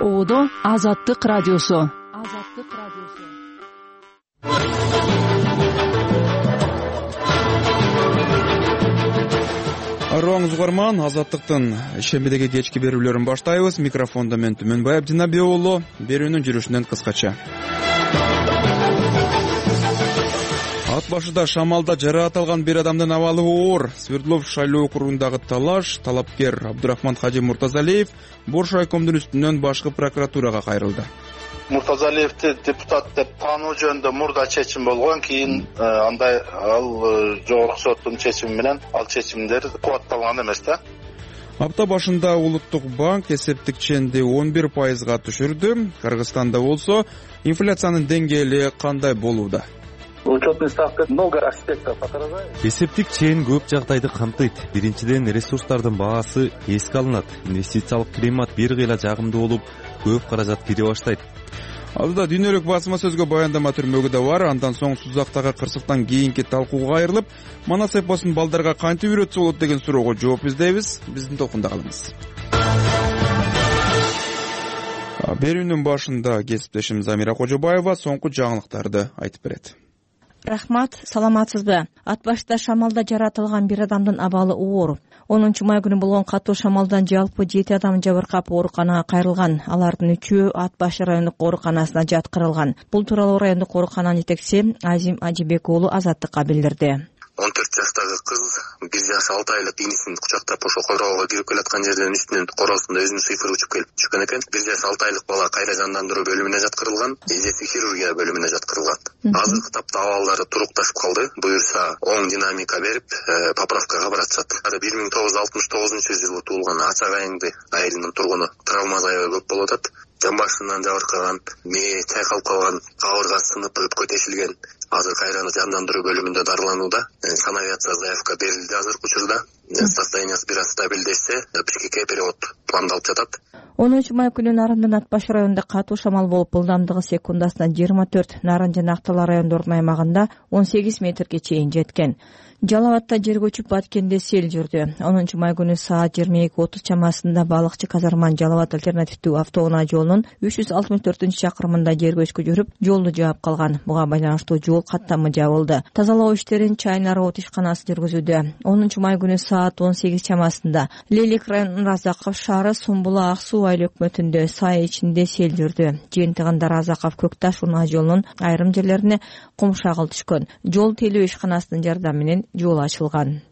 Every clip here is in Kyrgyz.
Оодо Азаттык радиосу. Арооңуз угарман, Азаттыктын шембидеги кечки берүүлөрүн баштайбыз. Микрофондо мен Түмөнбай Абдинабек уулу. Берүүнүн жүрүшүнөн кыскача. Ат башыда шамалда жараат алган бир адамдын абалы оор. Свердлов шайлоо округундагы талаш талапкер Абдурахман Кажи Муртазалиев Бош райкомдун үстүнөн башкы прокуратурага кайрылды. Муртазалиевди депутат деп таануу жөнүндө мурда чечим болгон, кийин андай ал жогорку соттун чечими менен ал чечимдер кубатталган эмес да. Апта башында Улуттук банк эсептик ченди 11%га түшүрдү. Кыргызстанда болсо инфляциянын деңгээли кандай болууда? Учетный ставка много аспектов отражает. Эсептик чен көп жагдайды камтыйт. Биринчиден, ресурстардын баасы эске алынат. Инвестициялык климат бир кыйла жагымдуу болуп, көп каражат кире баштайт. Алдыда дүйнөлүк басма сөзгө баяндама түрмөгү да бар. Андан соң Сузактагы кырсыктан кийинки талкууга кайрылып, Манас эпосун балдарга кантип үйрөтсө болот деген суроого жооп издейбиз. Биздин токунда калыңыз. Берүүнүн башында кесиптешим Замира Кожобаева соңку жаңылыктарды айтып берет. Рахмат, саламатсызбы? Ат башында шамалда жаратылган бир адамдын абалы оор. 10-май күнү болгон катуу шамалдан жалпы 7 адам жабыркап ооруканага кайрылган. Алардын 3-өө Ат башы райондук ооруканасына жаткырылган. Бул тууралуу райондук оорукананын жетекчиси Азим Ажибек уулу Азаттыкка билдирди. 14 жаштагы кыз 1 жаш 6 айлык инисин кучактап ошо койроого кирип келаткан жерден үстүнөн короосунда өзүнүн сыйфыры учуп келип түшкөн экен. 1 жаш 6 айлык бала кайра жандандыруу бөлүмүнө жаткырылган, эжеси хирургия бөлүмүнө жаткырылган. Азыркы тапта абалдары турукташып калды. Буюрса оң динамика берип, поправкага баратышат. 1969-жылы туулган Ачак айыңды айылынын тургуну. Травма аябай көп болуп атат. Жан башынан жабыркаган, мээ чайкалып калган, кабыргасы сынып өпкө тешилген. Азыр кайра жандандыруу бөлүмүндө дарыланууда. Санавиация заявка берилди азыркы учурда. Состояниясы бир аз стабилдешсе, Бишкекке перевод пландалып жатат. 10-май күнү Нарындын Ат башы районунда катуу шамал болуп, ылдамдыгы секундасына 24, Нарын жана Актала райондорунун аймагында 18 метрге чейин жеткен. Жалал Абадта жер көчүп баткенде сел жүрдү. 10-май күнү саат 22:30 чамасында балыкчы Казарман Жалал Абад альтернативдүү автоунаа жолунун 364-чакырымында жер көчкү жүрүп, жолду жаап калган. Буга байланыштуу жол каттамы жабылды. Тазалоо иштерин Чайнар от ишканасы жүргүзүүдө. 10-май күнү саат 18 чамасында Лелик районунун Разаков шаары Сумбула Ак суу айыл өкмөтүндө сай ичинде сел жүрдү. Жыйынтыгында Разаков Көкташ унаа жолунун айрым жерлерине кум шагыл түшкөн. Жол тейлөө ишканасынын жардамы менен жол ачылган.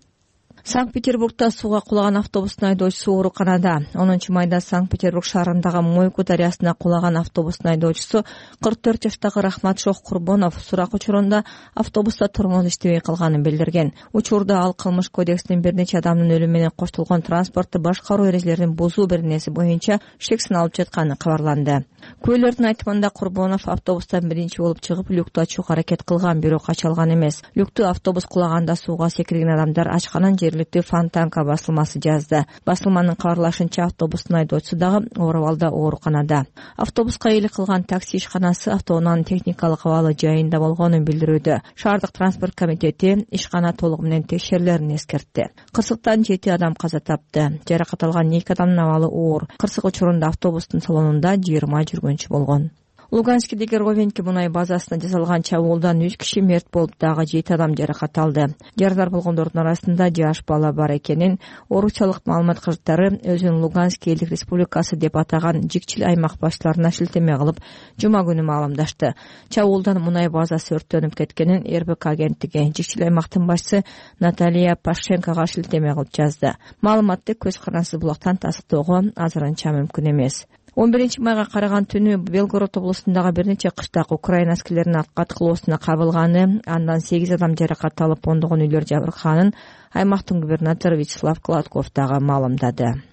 Санкт-Петербургда сууга кулаган автобустун айдоочусу ооруканада. 10-майда Санкт-Петербург шаарындагы Мойку дарыясына кулаган автобустун айдоочусу 44 жаштагы Рахмат Шох Курбонов сурак учурунда автобуста тормоз иштебей калганын билдирген. Учурда ал кылмыш кодексинин бир нече адамдын өлүмү менен коштолгон транспорту башкаруу эрежелерин бузуу беренеси боюнча шек сыналып жатканы кабарланды. Күбөлөрдүн айтымында Курбонов автобустан биринчи болуп чыгып, люкту ачууга аракет кылган, бирок ача алган эмес. Люкту автобус кулаганда сууга секирген адамдар ачканын жергиликтүү Фонтанка басылмасы жазды. Басылманын кабарлашынча автобустун айдоочусу дагы оор абалда ооруканада. Автобуска ээлик кылган такси ишканасы автоунаанын техникалык абалы жайында болгонун билдирүүдө. Шаардык транспорт комитети ишкана толугу менен текшерилерин эскертти. Кырсыктан 7 адам каза тапты. Жаракат алган 2 адамдын абалы оор. Кырсык учурунда автобустун салонунда 20 жүргүнчү болгон. Луганскидеги Ровенки мунай базасына жасалган чабуулдан 3 киши мерт болуп, дагы 7 адам жаракат алды. Жарадар болгондордун арасында жаш бала бар экенин оорукчалык маалымат кызматтары өзүн Луганск элдик республикасы деп атаган жикчил аймак башчыларына шилтеме кылып, жума күнү маалымдашты. Чабуулдан мунай базасы өрттөнүп кеткенин РБК агенттиги жикчил аймактын башчысы Наталья Пашенкага шилтеме кылып жазды. Маалыматты көз карансыз булактан тасыктоого азырынча мүмкүн эмес. 11-майга караган түнү Белгород облусундагы бир нече кыштак Украина аскерлеринин каткылоосуна кабылганы, андан 8 адам жаракат алып, ондогон үйлөр жабыркаганын аймактын губернатору Вячеслав Кладков дагы маалымдады.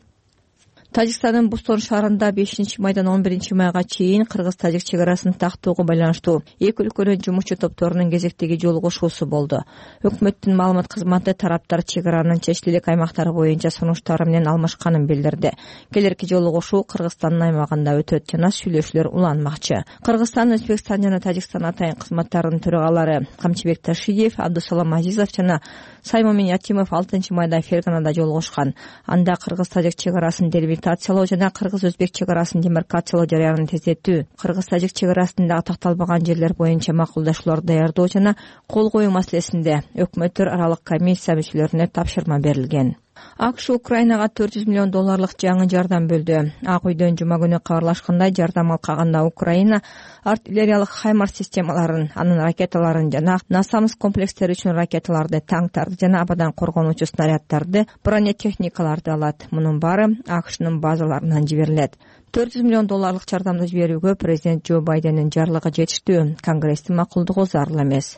Тажикстандын Бустон шаарында 5-майдан 11-майга чейин кыргыз-тажик чек арасын тактоого байланыштуу эки өлкөнүн жумушчу топторунун кезектеги жолугушуусу болду. Өкмөттүн маалымат кызматы тараптар чек аранын чечилик аймактары боюнча сунуштары менен алмашканын билдирди. Келерки жолугушуу Кыргызстандын аймагында өтөт жана сүйлөшүүлөр уланмакчы. Кыргызстан, Өзбекстан жана Тажикстан атайын кызматтарынын төрагалары Камчыбек Ташиев, Абдусалам Азизов жана Саймомин Ятимов 6-майда Ферганада жолугушкан. Анда кыргыз-тажик чек арасын дербик делимитациялоо жана кыргыз-өзбек чек арасын демаркациялоо жарыянын тездетүү, кыргыз-тажик чек арасындагы такталбаган жерлер боюнча макулдашууларды даярдоо жана кол коюу маселесинде өкмөттөр аралык комиссия мүчөлөрүнө тапшырма берилген. АКШ Украинага $400 миллион жаңы жардам бөлдү. Ак үйдөн жума күнү кабарлашкандай, жардам алкаганда Украина артиллериялык Хаймарс системаларын, анын ракеталарын жана Насамс комплекстери үчүн ракеталарды, танктарды жана абадан коргонуучу снаряддарды, бронетехникаларды алат. Мунун баары АКШнын базаларынан жиберилет. $400 миллион жардамды жиберүүгө президент Джо Байдендин жарлыгы жетиштүү, Конгресстин макулдугу зарыл эмес.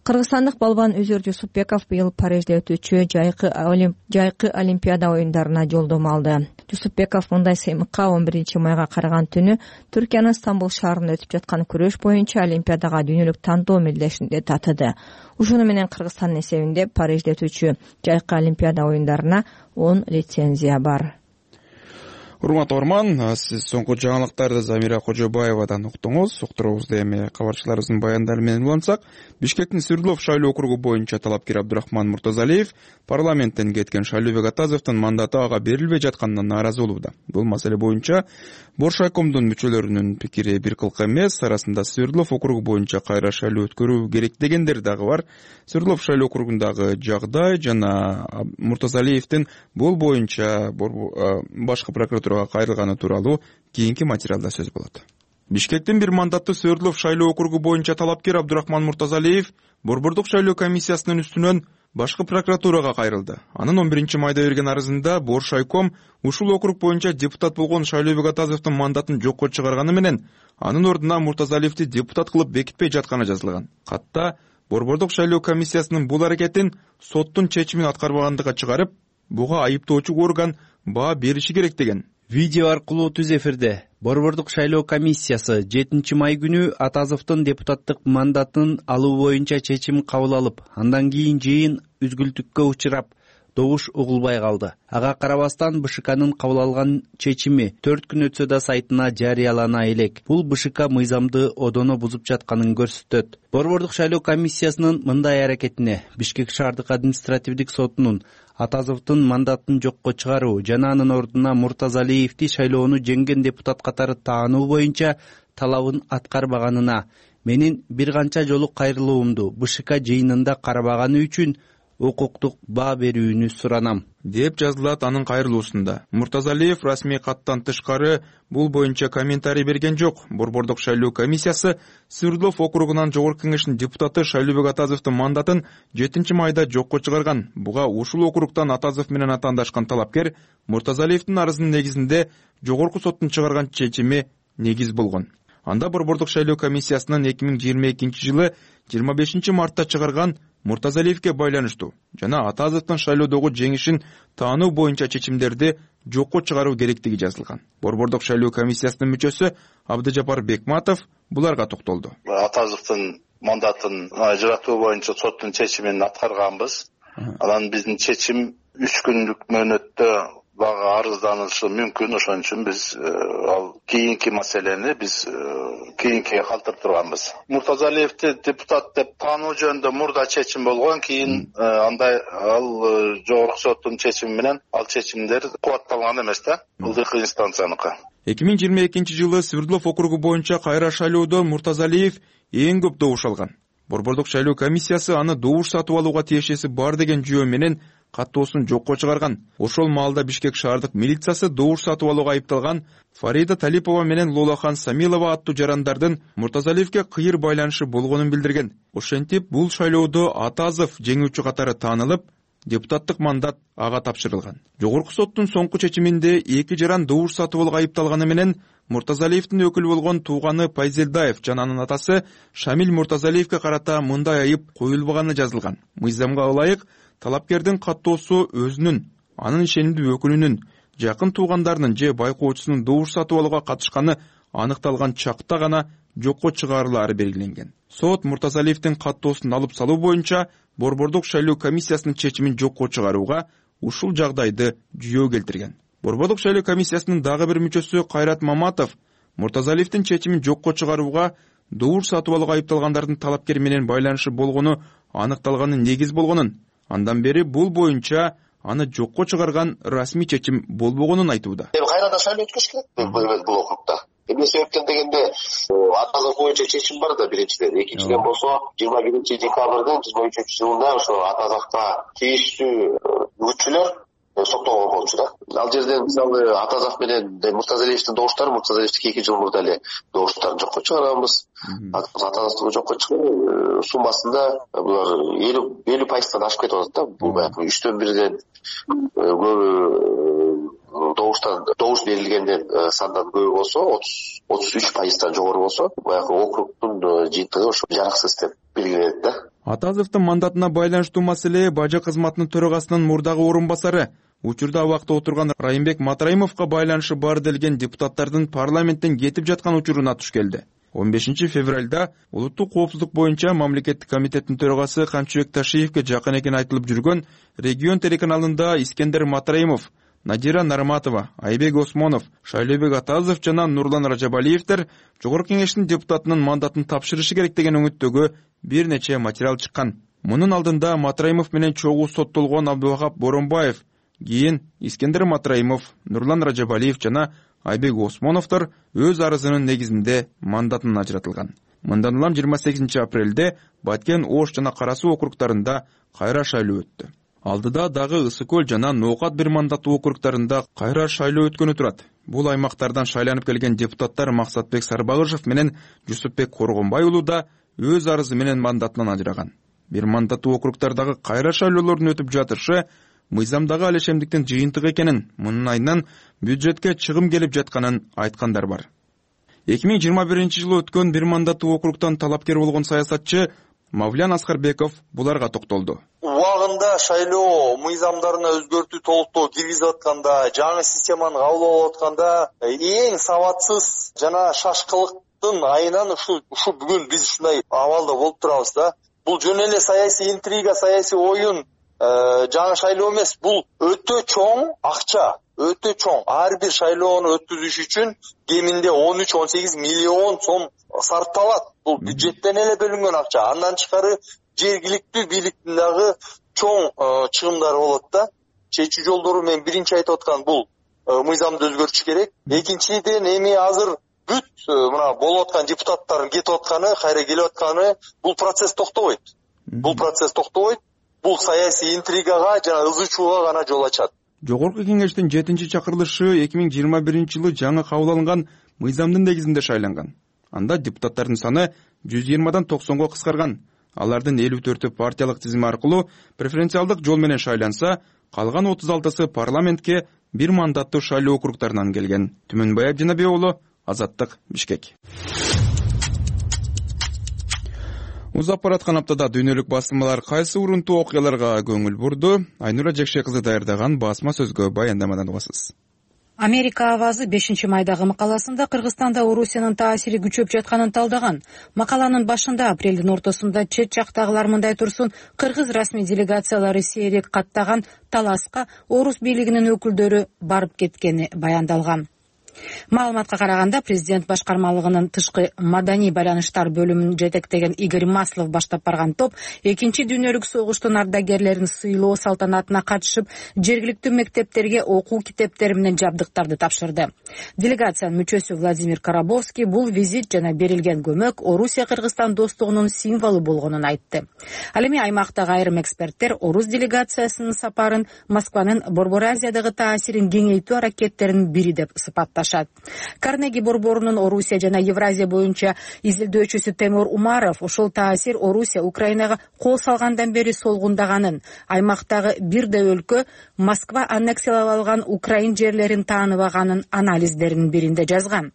Кыргызстандык балбан Үзүр Жусупбеков быйыл Парижде өтүүчү жайкы Олимпиада оюндарына жолдомо алды. Жусупбеков мындай сыймыкка 11 майга караган түнү Түркиянын Стамбул шаарында өтүп жаткан күрөш боюнча Олимпиадага дүйнөлүк тандоо мелдешинде татыды. Ушуну менен Кыргызстандын эсебинде Парижде өтүүчү жайкы Олимпиада оюндарына 10 лицензия бар. Урматтуу Орман, сиз соңку жаңылыктарды Замира Кожобаевадан уктуңуз. Уктуруубузду эми кабарчыларыбыздын баяндары менен улантсак, Бишкектин Свердлов шайлоо округу боюнча талапкер Абдурахман Муртазалиев парламенттен кеткен Шайлообек Атазовдун мандаты ага берилбей жатканына нааразы болууда. Бул маселе боюнча Боршайкомдун мүчөлөрүнүн пикири бир кылк эмес, арасында Свердлов округу боюнча кайра шайлоо өткөрүү керек дегендер дагы бар. Свердлов шайлоо округундагы жагдай жана Муртазалиевдин бул боюнча башкы прокуратурага кайрылганы тууралуу кийинки материалда сөз болот. Бишкектин бир мандаттуу Свердлов шайлоо округу боюнча талапкер Абдурахман Муртазалиев Борбордук шайлоо комиссиясынын үстүнөн башкы прокуратурага кайрылды. Анын 11 майда берген арызында Боршайком ушул округ боюнча депутат болгон Шайлообек Атазовдун мандатын жокко чыгарганы менен анын ордуна Муртазалиевди депутат кылып бекитпей жатканы жазылган. Катта Борбордук шайлоо комиссиясынын бул аракетин соттун чечимин аткарбагандыгы чыгарып, буга айыптоочу орган баа бериши керек деген. Видео аркылуу түз эфирде Борбордук шайлоо комиссиясы 7 май күнү Атазовдун депутаттык мандатын алуу боюнча чечим кабыл алып, андан кийин жыйын үзгүлтүккө учурап, добуш угулбай калды. Ага карабастан БШКнын кабыл алган чечими 4 күн өтсө да сайтына жарыялана элек. Бул БШК мыйзамды одоно бузуп жатканын көрсөтөт. Борбордук шайлоо комиссиясынын мындай аракетине Бишкек шаардык административдик сотунун Атазовдун мандатын жокко чыгаруу жана анын ордуна Муртазалиевди шайлоону жеңген депутат катары таануу боюнча талабын аткарбаганына менин бир канча жолу кайрылуумду БШК жыйынында карабаганы үчүн укуктук баа берүүнү суранам, деп жазылат анын кайрылуусунда. Муртазалиев расмий каттан тышкары бул боюнча комментарий берген жок. Борбордук шайлоо комиссиясы Свердлов округунан жогорку кеңештин депутаты Шайлообек Атазовдун мандатын 7 майда жокко чыгарган. Буга ушул округтан Атазов менен атаандашкан талапкер Муртазалиевдин арызынын негизинде жогорку соттун чыгарган чечими негиз болгон. Анда Борбордук шайлоо комиссиясынын 2022 жылы 25 мартта чыгарган Муртазалиевге байланыштуу жана Атазовдун шайлоодогу жеңишин таануу боюнча чечимдерди жокко чыгаруу керектиги жазылган. Борбордук шайлоо комиссиясынын мүчөсү Абдыжапар Бекматов буларга токтолду. Атазовдун мандатын ажыратуу боюнча соттун чечимин аткарганбыз. Анан биздин чечим 3 күндүк мөөнөттө бага арызданышы мүмкүн. Ошон үчүн биз ал кийинки маселени биз кийинкиге калтырып турганбыз. Муртазалиевди депутат деп таануу жөнүндө мурда чечим болгон, кийин андай ал жогорку соттун чечими менен ал чечимдер кубатталган эмес да, ылдыйкы инстанцияныкы. 2022 жылы Свердлов округу боюнча кайра шайлоодо Муртазалиев эң көп добуш алган. Борбордук шайлоо комиссиясы аны добуш сатып алууга тиешеси бар деген жүйө менен каттоосун жокко чыгарган. Ошол маалда Бишкек шаардык милициясы добуш сатып алууга айыпталган Фарида Талипова менен Лолахан Самилова аттуу жарандардын Муртазалиевге кыйыр байланышы болгонун билдирген. Ошентип, бул шайлоодо Атазов жеңүүчү катары таанылып, депутаттык мандат ага тапшырылган. Жогорку соттун соңку чечиминде эки жаран добуш сатып алууга айыпталганы менен Муртазалиевдин өкүлү болгон тууганы Пайзелдаев жана анын атасы Шамил Муртазалиевге карата мындай айып коюлбаганы жазылган. Мыйзамга ылайык талапкердин каттоосу өзүнүн, анын ишенимдүү өкүлүнүн, жакын туугандарынын же байкоочусунун добуш сатып алууга катышканы аныкталган чакта гана жокко чыгарылаары белгиленген. Сот Муртазалиевдин каттоосун алып салуу боюнча Борбордук шайлоо комиссиясынын чечимин жокко чыгарууга ушул жагдайды жүйөө келтирген. Борбордук шайлоо комиссиясынын дагы бир мүчөсү Кайрат Маматов Муртазалиевдин чечимин жокко чыгарууга добуш сатып алууга айыпталгандардын талапкер менен байланышы болгону аныкталганын негиз болгонун, андан бери бул боюнча аны жокко чыгарган расмий чечим болбогонун айтууда. Эми кайрадан шайлоо өткөрүш керек бул округда. Эмне себептен дегенде атазов боюнча чечим бар да биринчиден. Экинчиден болсо 21-декабрдын 2023-жылында ошо атазовго тийиштүү күччүлөр соттолгон болчу да. Ал жерден мисалы Атазов менен Муртазалиевдин добуштары, Муртазалиевдики 2 жыл мурда эле добуштарын жокко чыгарабыз. Атазовду жокко чыгарып, суммасында булар 50% ашып кетип атат да. Бул баягы 3/1 көбү добуш берилгенден сандан көбү болсо, 33% жогору болсо, баягы округдун жыйынтыгы ошо жараксыз деп белгиленет да. Атазовдун мандатына байланыштуу маселе бажы кызматынын төрагасынын мурдагы орун басары, учурда абакта отурган Райымбек Матраимовго байланышы бар делген депутаттардын парламенттен кетип жаткан учуруна туш келди. 15-февралда улуттук коопсуздук боюнча мамлекеттик комитеттин төрагасы Камчыбек Ташиевге жакын экени айтылып жүргөн Регион телеканалында Искендер Матраимов, Надира Нарматова, Айбек Осмонов, Шайлообек Атазов жана Нурлан Ражабалиевдер Жогорку Кеңештин депутатынын мандатын тапшырышы керек деген үмүттөгү бир нече материал чыккан. Мунун алдында Матраимов менен чогуу соттолгон Абдубакап Боронбаев, кийин Искендер Матраимов, Нурлан Ражабалиев жана Айбек Осмоновдор өз арызынын негизинде мандатын ажыратылган. Мындан улам 28 апрелде Баткен, Ош жана Кара Суу округдарында кайра шайлоо өттү. Алдыда дагы Ысык Көл жана Ноокат бир мандаттуу округдарында кайра шайлоо өткөнү турат. Бул аймактардан шайланып келген депутаттар Максатбек Сарбагышев менен Жусупбек Коргонбай уулу да өз арызы менен мандатынан ажыраган. Бир мандаттуу округдардагы кайра шайлоолордун өтүп жатышы мыйзамдагы алешемдиктин жыйынтыгы экенин, мунун айынан бюджетке чыгым келип жатканын айткандар бар. 2021-жылы өткөн бир мандаттуу округтан талапкер болгон саясатчы Мавлян Аскарбеков буларга токтолду. Убагында шайлоо мыйзамдарына өзгөртүү толуктоо киргизип атканда, жаңы системаны кабыл алып атканда эң сабатсыз жана шашкылыктын айынан ушу бүгүн биз ушундай абалда болуп турабыз да. Бул жөн эле саясий интрига, саясий оюн, жаңы шайлоо эмес, бул өтө чоң акча, өтө чоң. Ар бир шайлоону өткүзүш үчүн кеминде 13-18 миллион сом сарпталат. Бул бюджеттен эле бөлүнгөн акча. Андан тышкары жергиликтүү бийликтин дагы чоң чыгымдары болот да. Чечүү жолдору мен биринчи айтып аткан бул мыйзамды өзгөртүш керек. Экинчиден эми азыр бүт мына болуп аткан депутаттардын кетип атканы, кайра келип атканы, бул процесс токтобойт. Бул саясий интригага жана ызычууга гана жол ачат. Жогорку Кеңештин 7-чакырылышы 2021-жылы жаңы кабыл алынган мыйзамдын негизинде шайланган. Анда депутаттардын саны 120-дан 90-го кыскарган. Алардын 54-ü партиялык тизим аркылуу преференциалдык жол менен шайланса, калган 36-сы парламентке бир мандаттуу шайлоо округдарынан келген. Түмөнбай Абдинабек уулу, Азаттык, Бишкек. Узап бараткан аптада дүйнөлүк басылмалар кайсы урунтуу окуяларга көңүл бурду? Айнура Жекше кызы даярдаган басма сөзгө баяндамадан угасыз. Америка авазы 5-майдагы макаласында Кыргызстанда Орусиянын таасири күчөп жатканын талдаган. Макаланын башында апрелдин ортосунда чет жактагылар мындай турсун, кыргыз расмий делегациялары сейрек каттаган таласка орус бийлигинин өкүлдөрү барып кеткени баяндалган. Маалыматка караганда, президент башкармалыгынын тышкы маданий байланыштар бөлүмүн жетектеген Игорь Маслов баштап барган топ 2-дүйнөлүк согуштун ардагерлерин сыйлоо салтанатына катышып, жергиликтүү мектептерге окуу китептери менен жабдыктарды тапшырды. Делегациянын мүчөсү Владимир Карабовский бул визит жана берилген көмөк Орусия-Кыргызстан достугунун символу болгонун айтты. Ал эми аймактагы айрым эксперттер орус делегациясынын сапарын Москванын Борбор Азиядагы таасирин кеңейтүү аракеттеринин бири деп сыпатташат. Карнеги борборунун Орусия жана Евразия боюнча изилдөөчүсү Темур Умаров ошол таасир Орусия Украинага кол салгандан бери солгундаганын, аймактагы бирде өлкө Москва аннексиялап алган Украин жерлерин тааныбаганын анализдеринин биринде жазган.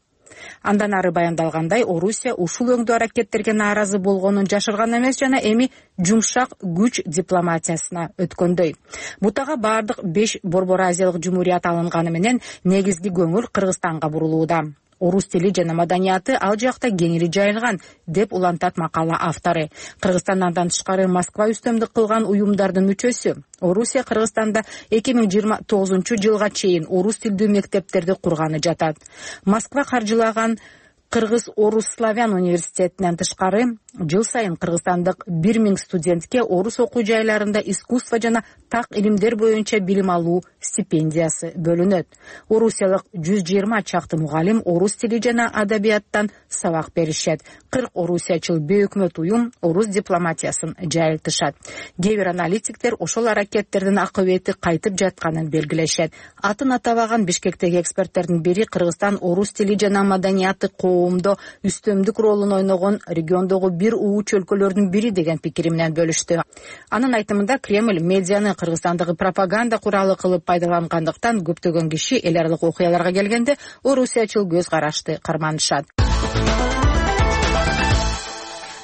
Андан ары баяндалгандай, Орусия ушул өңдүү аракеттерге нааразы болгонун жашырган эмес жана эми жумшак күч дипломатиясына өткөндөй. Бутага бардык 5 Борбор Азиялык жумурият алынганы менен негизги көңүл Кыргызстанга бурулууда. Орус тили жана маданияты ал жакта кеңири жайылган, деп улантат макала автору. Кыргызстан андан тышкары Москва үстөмдүк кылган уюмдардын мүчөсү. Орусия Кыргызстанда 2029-жылга чейин орус тилдүү мектептерди курганы жатат. Москва каржылаган Кыргыз-Орус славян университетинен тышкары жыл сайын кыргызстандык 1000 студентке орус окуу жайларында искусство жана так илимдер боюнча билим алуу стипендиясы бөлүнөт. Орусиялык 120 чакты мугалим орус тили жана адабияттан сабак беришет. 40 орусиячыл бейөкмөт уюм орус дипломатиясын жайылтышат. Кээ бир аналитиктер ошол аракеттердин акыбети кайтып жатканын белгилешет. Атын атабаган Бишкектеги эксперттердин бири Кыргызстан орус тили жана маданияты коомдо үстөмдүк ролун ойногон региондогу бир ууч өлкөлөрдүн бири деген пикири менен бөлүштү. Анын айтымында Кремль медианы Кыргызстандагы пропаганда куралы кылып пайдалангандыктан көптөгөн киши эл аралык окуяларга келгенде орусиячыл көз карашты карманышат.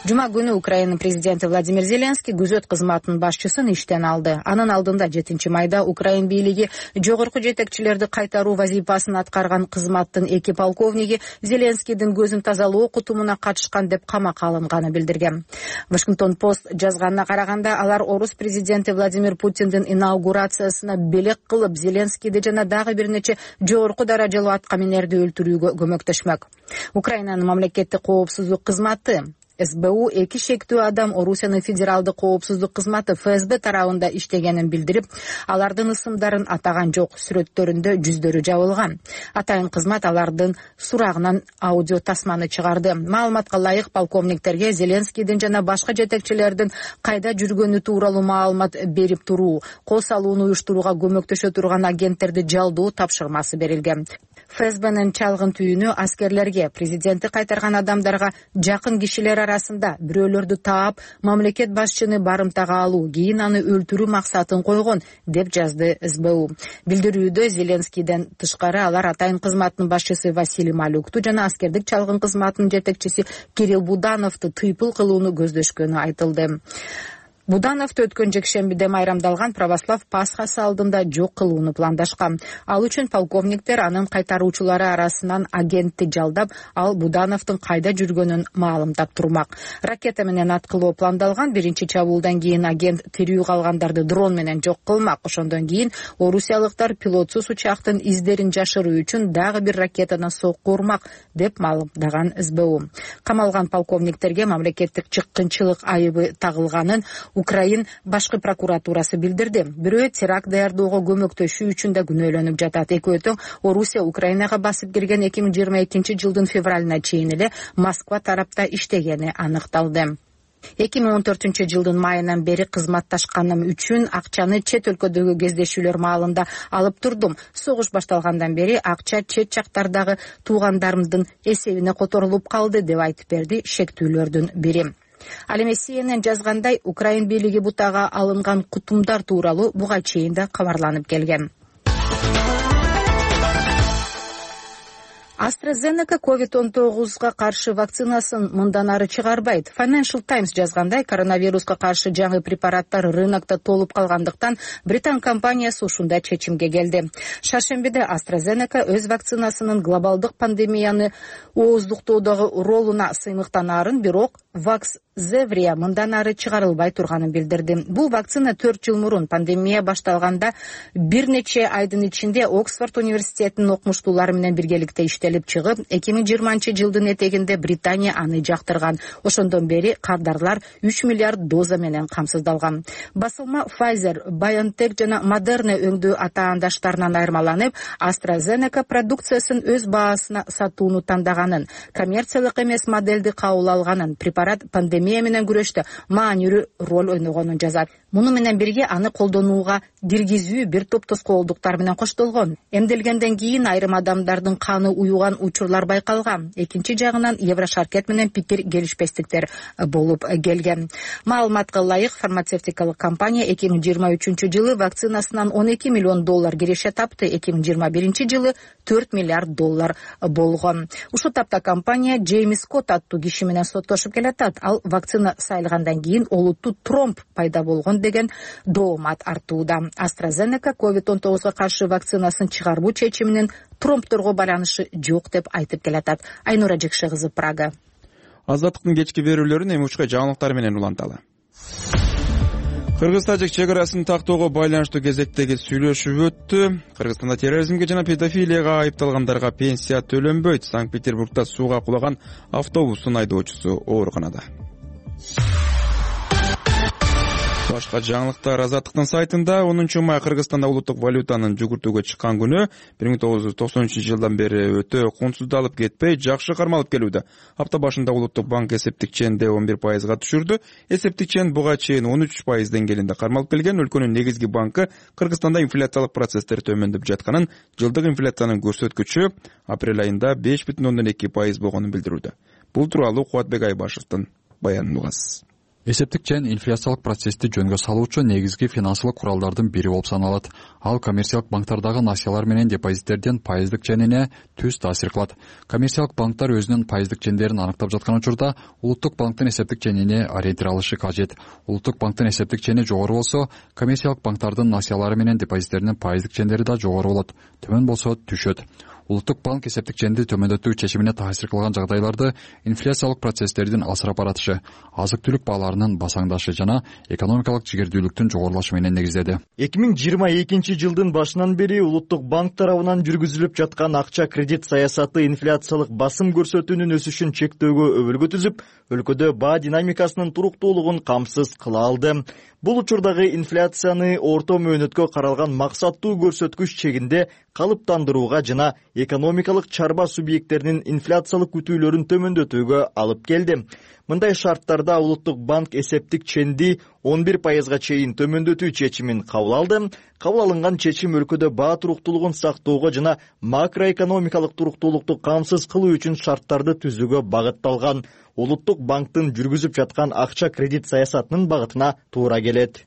Жума күнү Украина президенти Владимир Зеленский күзөт кызматынын башчысын иштен алды. Анын алдында 7 майда Украина бийлиги жогорку жетекчилерди кайтаруу вазифасын аткарган кызматтын 2 полковниги Зеленскийдин көзүн тазалоо кутумуна катышкан деп камакка алынганы билдирген. Вашингтон Пост жазганына караганда алар орус президенти Владимир Путиндин инаугурациясына белек кылып Зеленскийди жана дагы бир нече жогорку даражалуу аткаминерди өлтүрүүгө көмөктөшмөк. Украинанын мамлекеттик коопсуздук кызматы СБУ 2 шектүү адам Орусиянын федералдык коопсуздук кызматы ФСБ тарабында иштегенин билдирип, алардын ысымдарын атаган жок, сүрөттөрүндө жүздөрү жабылган. Атайын кызмат алардын сурагынан аудио тасманы чыгарды. Маалыматка ылайык полковниктерге Зеленскийдин жана башка жетекчилердин кайда жүргөнү тууралуу маалымат берип туруу, кол салууну уюштурууга көмөктөшө турган агенттерди жалдоо тапшырмасы берилген. ФСБнын чалгын түйүнү аскерлерге, президентти кайтарган адамдарга жакын кишилер арасында бирөөлөрдү таап, мамлекет башчыны барымтага алуу, кийин аны өлтүрүү максатын койгон, деп жазды СБУ. Билдирүүдө Зеленскийден тышкары алар атайын кызматтын башчысы Василий Малюкту жана аскердик чалгын кызматынын жетекчиси Кирилл Будановду тыйпыл кылууну көздөшкөнү айтылды. Будановду өткөн жекшембиде майрамдалган православ Пасхасы алдында жок кылууну пландашкан. Ал үчүн полковниктер анын кайтаруучулары арасынан агентти жалдап, ал Будановдун кайда жүргөнүн маалымдап турмак. Ракета менен аткылоо пландалган. Биринчи чабуулдан кийин агент тирүү калгандарды дрон менен жок кылмак. Ошондон кийин орусиялыктар пилотсуз учактын издерин жашыруу үчүн дагы бир ракетаны сокко урмак, деп маалымдаган СБУ. Камалган полковниктерге мамлекеттик чыккынчылык айыбы тагылганын Украин башкы прокуратурасы билдирди. Бирөө теракт даярдоого көмөктөшүү үчүн да күнөөлөнүп жатат. Экөө тең Орусия Украинага басып кирген 2022 жылдын февралына чейин эле Москва тарапта иштегени аныкталды. 2014 жылдын майынан бери кызматташканым үчүн акчаны чет өлкөдөгү кездешүүлөр маалында алып турдум. Согуш башталгандан бери акча чет жактардагы туугандарымдын эсебине которулуп калды, деп айтып берди шектүүлөрдүн бири. Ал эми CNN жазгандай, Украин бийлиги бутага алынган кутумдар тууралуу буга чейин да кабарланып келген. AstraZeneca COVID-19 каршы вакцинасын мындан ары чыгарбайт. Financial Times жазгандай, коронавируска каршы жаңы препараттар рынокто толуп калгандыктан Британ компаниясы ушундай чечимге келди. Шаршембиде AstraZeneca өз вакцинасынын глобалдык пандемияны ооздуктоодогу ролуна сыймыктанаарын, бирок Vaxzevria мындан ары чыгарылбай турганын билдирди. Бул вакцина 4 жыл мурун пандемия башталганда бир нече айдын ичинде Оксфорд университетинин окумуштуулары менен биргеликте иштелип чыгып, 2020 жылдын этегинде Британия аны жактырган. Ошондон бери кардарлар 3 миллиард доза менен камсыздалган. Басылма Pfizer, BioNTech жана Moderna өңдүү атаандаштарынан айырмаланып, AstraZeneca продукциясын өз баасына сатууну тандаганын, коммерциялык эмес модельди кабыл алганын, препарат пандемия менен күрөштө маанилүү роль ойногонун жазат. Муну менен бирге аны колдонууга киргизүү бир топ тоскоолдуктар менен коштолгон. Эмделгенден кийин айрым адамдардын каны уюган учурлар байкалган. Экинчи жагынан Еврошаркет менен пикир келишпестиктер болуп келген. Маалыматка ылайык, фармацевтикалык компания 2023 жылы вакцинасынан $12 миллион киреше тапты, 2021 жылы $4 миллиард болгон. Ушул тапта компания Джеймс Скотт аттуу киши менен соттошуп келатат. Ал вакцина сайылгандан кийин олуттуу тромб пайда болгон деген доомат артууда. AstraZeneca COVID-19 каршы вакцинасын чыгаруу чечиминин тромбторго байланышы жок деп айтып келатат. Айнура Жекше кызы, Прага. Азаттыктын кечки берүүлөрүн эми учка жаңылыктар менен уланталы. Кыргыз тажик чек арасын тактоого байланыштуу кезектеги сүйлөшүү өттү. Кыргызстанда терроризмге жана педофилияга айыпталгандарга пенсия төлөнбөйт. Санкт-Петербургда сууга кулаган автобустун айдоочусу ооруканада. Башка жаңылыктар Азаттыктын сайтында 10 май Кыргызстанда улуттук валютанын жүгүртүүгө чыккан күнү 1993-жылдан бери өтө кунсуздалып кетпей, жакшы кармалып келүүдө. Апта башында улуттук банк эсептик ченди 11%га түшүрдү. Эсептик чен буга чейин 13% деңгээлинде кармалып келген. Өлкөнүн негизги банкы Кыргызстанда инфляциялык процесстер төмөндөп жатканын, жылдык инфляциянын көрсөткүчү апрель айында 5,2% болгонун билдирүүдө. Бул тууралуу Кубатбек Айбашевдин баянын угасыз. Эсептик чен инфляциялык процессти жөнгө салуучу негизги финансылык куралдардын бири болуп саналат. Ал коммерциялык банктардагы насыялар менен депозиттердин пайыздык ченине түз таасир кылат. Коммерциялык банктар өзүнүн пайыздык чендерин аныктап жаткан учурда улуттук банктын эсептик ченине ориентир алышы кажет. Улуттук банктын эсептик чени жогору болсо, коммерциялык банктардын насыялары менен депозиттеринин пайыздык чендери да жогору болот. Төмөн болсо түшөт. Улуттук банк эсептик ченди төмөндөтүү чечимине таасир кылган жагдайларды инфляциялык процесстердин алсырап баратышы, азык-түлүк бааларынын басаңдашы жана экономикалык жигердүүлүктүн жогорулашы менен негиздеди. 2022-жылдын башынан бери улуттук банк тарабынан жүргүзүлүп жаткан акча кредит саясаты инфляциялык басым көрсөтүүнүн өсүшүн чектөөгө өбөлгө түзүп, өлкөдө баа динамикасынын туруктуулугун камсыз кыла алды. Бул учурдагы инфляцияны орто мөөнөткө каралган максаттуу көрсөткүч чегинде калыптандырууга жана экономикалык чарба субъекттеринин инфляциялык күтүүлөрүн төмөндөтүүгө алып келди. Мындай шарттарда улуттук банк эсептик ченди 11%га чейин төмөндөтүү чечимин кабыл алды. Кабыл алынган чечим өлкөдө баа туруктуулугун сактоого жана макроэкономикалык туруктуулукту камсыз кылуу үчүн шарттарды түзүүгө багытталган. Улуттук банктын жүргүзүп жаткан акча кредит саясатынын багытына туура келет,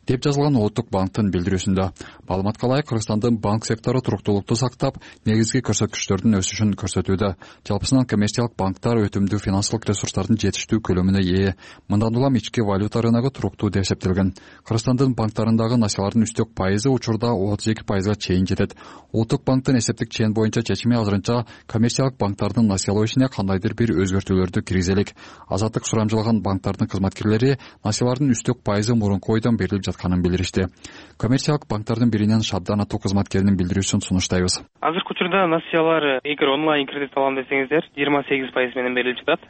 деп жазылган улуттук банктын билдирүүсүндө. Маалыматка ылайык, Кыргызстандын банк сектору туруктуулукту сактап, негизги көрсөткүчтөрдүн өсүшүн көрсөтүүдө. Жалпысынан коммерциялык банктар өтүмдүү финансылык ресурстардын жетиштүү көлөмүнө ээ. Мындан улам ички валюта рыногу туруктуу деп эсептелген. Кыргызстандын банктарындагы насыялардын үстөк пайызы учурда 32%га чейин жетет. Улуттук банктын эсептик чен боюнча чечими азырынча коммерциялык банктардын насыялоо ишине кандайдыр бир өзгөртүүлөрдү киргизелик. Азаттык сурамжылган банктардын кызматкерлери насыялардын үстөк пайызы мурунку ойдон берилип жатканын билдиришти. Коммерциялык банктардын биринен Шабдан аттуу кызматкеринин билдирүүсүн сунуштайбыз. Азыркы учурда насыялар эгер онлайн кредит алам десеңиздер 28% менен берилип жатат.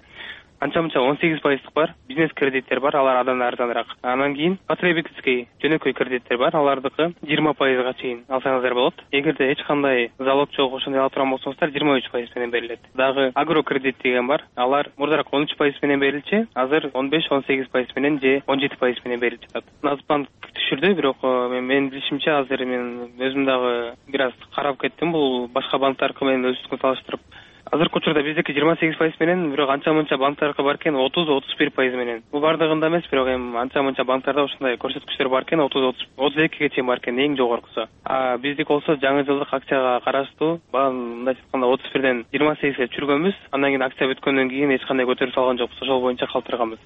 Анча-мынча 18%дык бар, бизнес кредиттер бар, алар абдан арзаныраак. Анан кийин потребительский жөнөкөй кредиттер бар, алардыкы 20%га чейин алсаңыздар болот. Эгерде эч кандай залог жок, ошондой ала турган болсоңуздар 23% менен берилет. Дагы агро кредит деген бар, алар мурдараак 13% менен берилчү, азыр 15-18% менен же 17% менен берилип жатат. Нацбанк түшүрдү, бирок менин билишимче азыр мен өзүм дагы бир аз карап кеттим, бул башка банктаркы менен өзүнүкүн салыштырып. Азыркы учурда биздики 28% менен, бирок анча-мынча банктарга бар экен 30-31% менен. Бул бардыгында эмес, бирок эми анча-мынча банктарда ошондой көрсөткүчтөр бар экен, 30-32ге чейин бар экен, эң жогоркусу. Биздик болсо жаңы жылдык акчага караштуу, мындай айтканда 31ден 28ге түшүргөнбүз. Андан кийин акция бүткөндөн кийин эч кандай көтөрүп салган жокпуз, ошол боюнча калтырганбыз.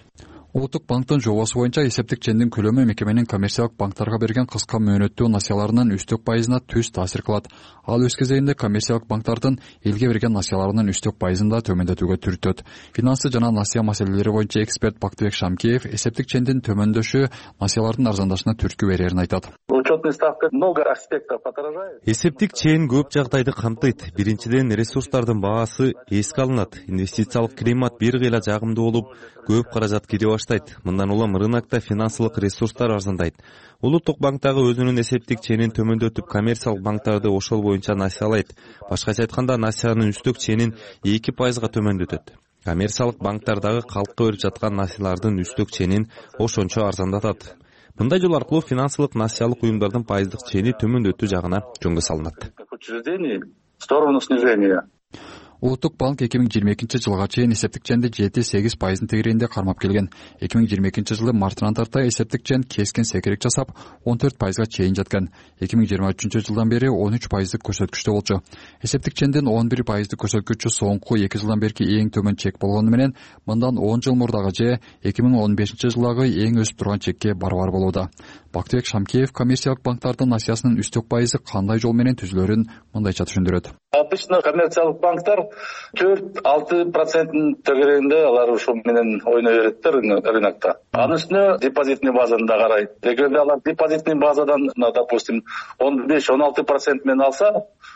Улуттук банктын жобосу боюнча эсептик чендин көлөмү мекеменин коммерциялык банктарга берген кыска мөөнөттүү насыяларынын үстөк пайызына түз таасир кылат. Ал өз кезегинде коммерциялык банктардын элге берген насыяларынын үстөк пайызын да төмөндөтүүгө түртөт. Финансы жана насыя маселелери боюнча эксперт Бактыбек Шамкеев эсептик чендин төмөндөшү насыялардын арзандашына түрткү берерин айтат. Учетная ставка много аспектов отражает. Эсептик чен көп жагдайды камтыйт. Биринчиден, ресурстардын баасы эске алынат. Инвестициялык климат бир кыйла жагымдуу болуп, көп каражат кире баштайт. Мындан улам рынокто финансылык ресурстар арзандайт. Улуттук банк дагы өзүнүн эсептик ченин төмөндөтүп, коммерциялык банктарды ошол боюнча насыялайт. Башкача айтканда, насыянын үстөк ченин 2%га төмөндөтөт. Коммерциялык банктар дагы калкка берип жаткан насыялардын үстөк ченин ошончо арзандатат. Мындай жол аркылуу финансылык насыялык уюмдардын пайыздык чени төмөндөтүү жагына жөнгө салынат. В сторону снижения. Улуттук банк 2022-жылга чейин эсептик ченди 7-8% тегерегинде кармап келген. 2022-жылы мартынан тарта эсептик чен кескин секирик жасап 14%га чейин жеткен. 2023-жылдан бери 13%дык көрсөткүчтө болчу. Эсептик чендин 11%дык көрсөткүчү соңку 2 жылдан берки эң төмөн чек болгону менен, мындан 10 жыл мурдагы же 2015-жылдагы эң өсүп турган чекке барабар болууда. Бактыбек Шамкеев коммерциялык банктардын насыясынын үстөк пайызы кандай жол менен түзүлөрүн мындайча түшүндүрөт. Обычно коммерциялык банктар 4-6% тегерегинде алар ошо менен ойной берет рынокто. Анын үстүнө депозитный базаны да карайт. Эгерде алар депозитный базадан, допустим, 15-16% менен алса,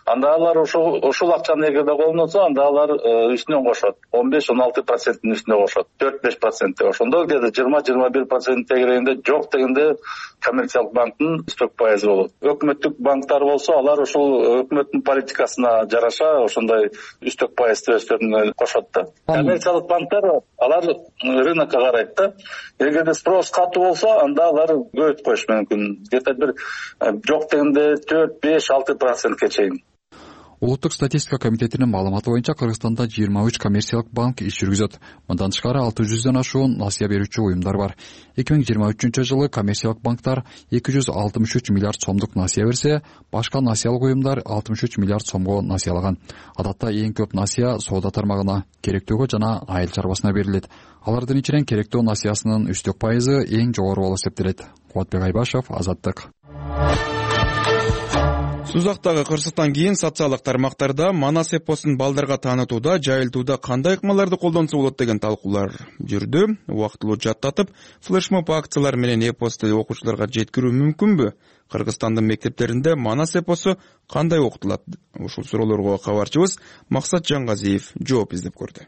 анда алар ошол акчаны эгерде колуна алса, анда алар үстүнөн кошот. 15-16%-ин үстүнө кошот. 4-5% ошондо где-то 20-21% дегенде жок дегенде коммерциялык банктын үстөк пайызы болот. Өкмөттүк банктар болсо, алар ошол өкмөттүн политикасына жараша ошондой үстөк пайыз өстөрүнө кошот да. Коммерциялык банктар алар рынокко карайт да. Эгерде спрос катуу болсо, анда алар көбөйтүп коюш мүмкүн. Где-то бир жок дегенде 4-5-6%ке чейин. Улуттук статистика комитетинин маалыматы боюнча Кыргызстанда 23 коммерциялык банк иш жүргүзөт. Мындан тышкары 600дөн ашуун насыя берүүчү уюмдар бар. 2023-жылы коммерциялык банктар 263 миллиард сомдук насыя берсе, башка насыялык уюмдар 63 миллиард сомго насыялаган. Адатта эң көп насыя соода тармагына, керектөөгө жана айыл чарбасына берилет. Алардын ичинен керектөө насыясынын үстөк пайызы эң жогору болуп эсептелет. Кубатбек Айбашев, Азаттык. Сузактагы кырсыктан кийин социалдык тармактарда Манас эпосун балдарга таанытууда, жайылтууда кандай ыкмаларды колдонсо болот деген талкуулар жүрдү. Убактылуу жаттатып, флешмоб акциялар менен эпосту окуучуларга жеткирүү мүмкүнбү? Кыргызстандын мектептеринде Манас эпосу кандай окутулат? Ушул суроолорго кабарчыбыз Максат Жангазиев жооп издеп көрдү.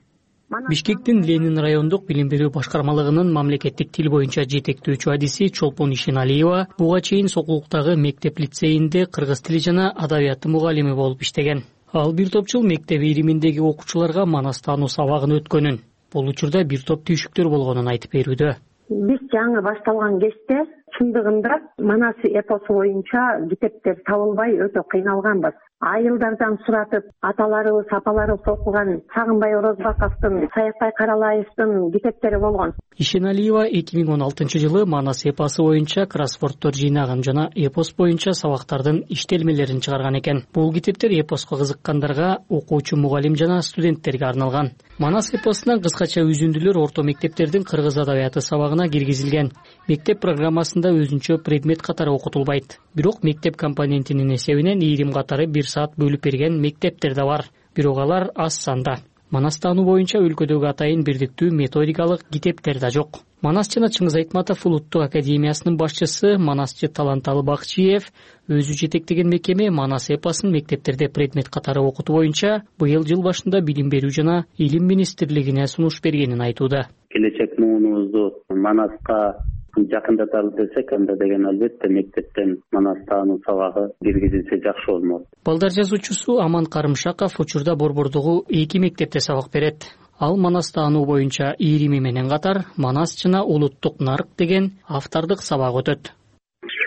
Бишкектин Ленин райондук билим берүү башкармалыгынын мамлекеттик тил боюнча жетектөөчү адиси Чолпон Ишеналиева буга чейин Сокулуктагы мектеп лицейинде кыргыз тили жана адабияты мугалими болуп иштеген. Ал бир топ жыл мектеп ириминдеги окуучуларга манас таануу сабагын өткөнүн, бул учурда бир топ түйшүктөр болгонун айтып берүүдө. Биз жаңы башталган кезде чындыгында Манас эпосу боюнча китептер табылбай өтө кыйналганбыз. Айылдардан суратып, аталарыбыз, апаларыбыз окуган Сагынбай Орозбаковдун, Саякбай Каралаевдин китептери болгон. Ишеналиева 2016-жылы Манас эпосу боюнча кроссворддор жыйнаган жана эпос боюнча сабактардын иштелмелерин чыгарган экен. Бул китептер эпоско кызыккандарга, окуучу мугалим жана студенттерге арналган. Манас эпосунан кыскача үзүндүлөр орто мектептердин кыргыз адабияты сабагына киргизилген. Мектеп программасында өзүнчө предмет катары окутулбайт. Бирок мектеп компонентинин эсебинен ийрим катары 1 саат бөлүп берген мектептер да бар. Бирок алар аз санда. Манас таануу боюнча өлкөдөгү атайын бирдиктүү методикалык китептер да жок. Манас жана Чыңгыз Айтматов улуттук академиясынын башчысы Манасчы Таланталы Бакчиев өзү жетектеген мекеме Манас эпосун мектептерде предмет катары окутуу боюнча быйыл жыл башында билим берүү жана илим министрлигине сунуш бергенин айтууда. Келечек муунубузду Манаска жакындаталы десек, анда деген албетте мектептен Манас таануу сабагы киргизилсе жакшы болмок. Балдар жазуучусу Аман Карымшаков учурда Борбордогу 2 мектепте сабак берет. Ал Манас таануу боюнча ирими менен катар Манас жана улуттук нарк деген автордук сабак өтөт.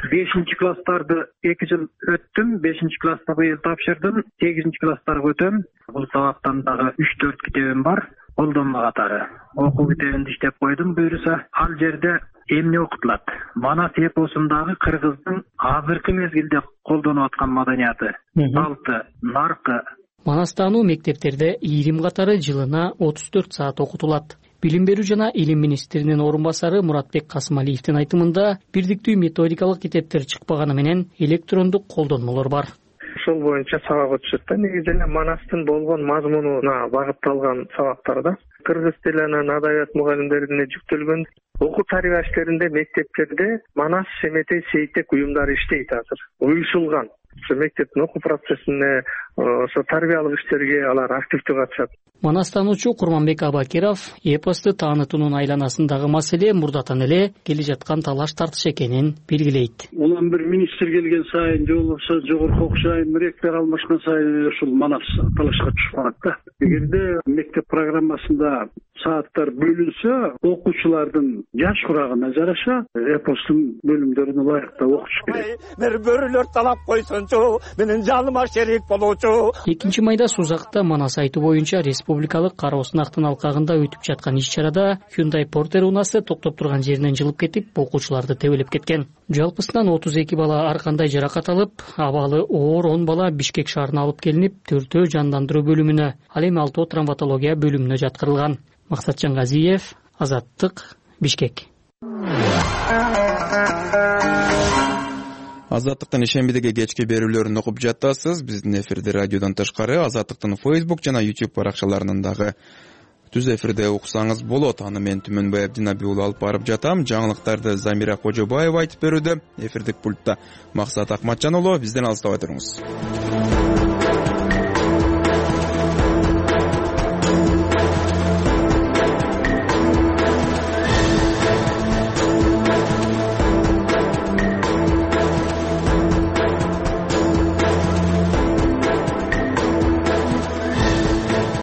5-класстарды 2 жыл өттүм, 5-класста быйыл тапшырдым, 8-класстарга өтөм. Бул сабактан дагы 3-4 китебим бар, колдонма катары. Окуу китебинди иштеп койдум, буюрса. Ал жерде эмне окутулат? Манас эпосундагы кыргыздын азыркы мезгилде колдонуп аткан маданияты, салты, наркы. Манас таануу мектептерде ийрим катары жылына 34 саат окутулат. Билим берүү жана илим министринин орун басары Муратбек Касымалиевдин айтымында бирдиктүү методикалык китептер чыкпаганы менен электрондук колдонмолор бар. Ошол боюнча сабак өтүшөт да. Негизи эле Манастын болгон мазмунуна багытталган сабактарда кыргыз тили анан адабият мугалимдерине жүктөлгөн. Окуу тарбия иштеринде мектептерде Манас, Шеметей, Сейтек уюмдары иштейт азыр. Уюшулган. Ошо мектептин окуу процессине, ошо тарбиялык иштерге алар активдүү катышат. Манас таануучу Курманбек Абакиров эпосту таанытуунун айланасындагы маселе мурдатан эле келе жаткан талаш тартыш экенин белгилейт. Улам бир министр келген сайын, же болбосо жогорку окуш айым ректор алмашкан сайын ушул Манас талашка түшүп калат да. Эгерде мектеп программасында сааттар бөлүнсө, окуучулардын жаш курагына жараша эпостун бөлүмдөрүн ылайыктап окутуш керек. Бир бөрүлөр талап койсончу, менин жаныма шерик болуучу. 2-майда Сузакта Манас айтуу боюнча республикалык кара сынактын алкагында өтүп жаткан иш-чарада Hyundai Porter унаасы токтоп турган жеринен жылып кетип, окуучуларды тебелеп кеткен. Жалпысынан 32 бала ар кандай жаракат алып, абалы оор 10 бала Бишкек шаарына алып келинип, 4-өө жандандыруу бөлүмүнө, ал эми 6 травматология бөлүмүнө жаткырылган. Максат Жангазиев, Азаттык, Бишкек. Азаттыктын ишембидеги кечки берүүлөрүн окуп жатасыз. Биздин эфирде радиодон тышкары Азаттыктын Facebook жана YouTube баракчаларынан дагы түз эфирде уксаңыз болот. Аны мен Түмөнбай Абдинаби уулу алып барып жатам. Жаңылыктарды Замира Кожобаева айтып берүүдө. Эфирдик пультта Максат Акматжан уулу. Бизден алыстабай туруңуз.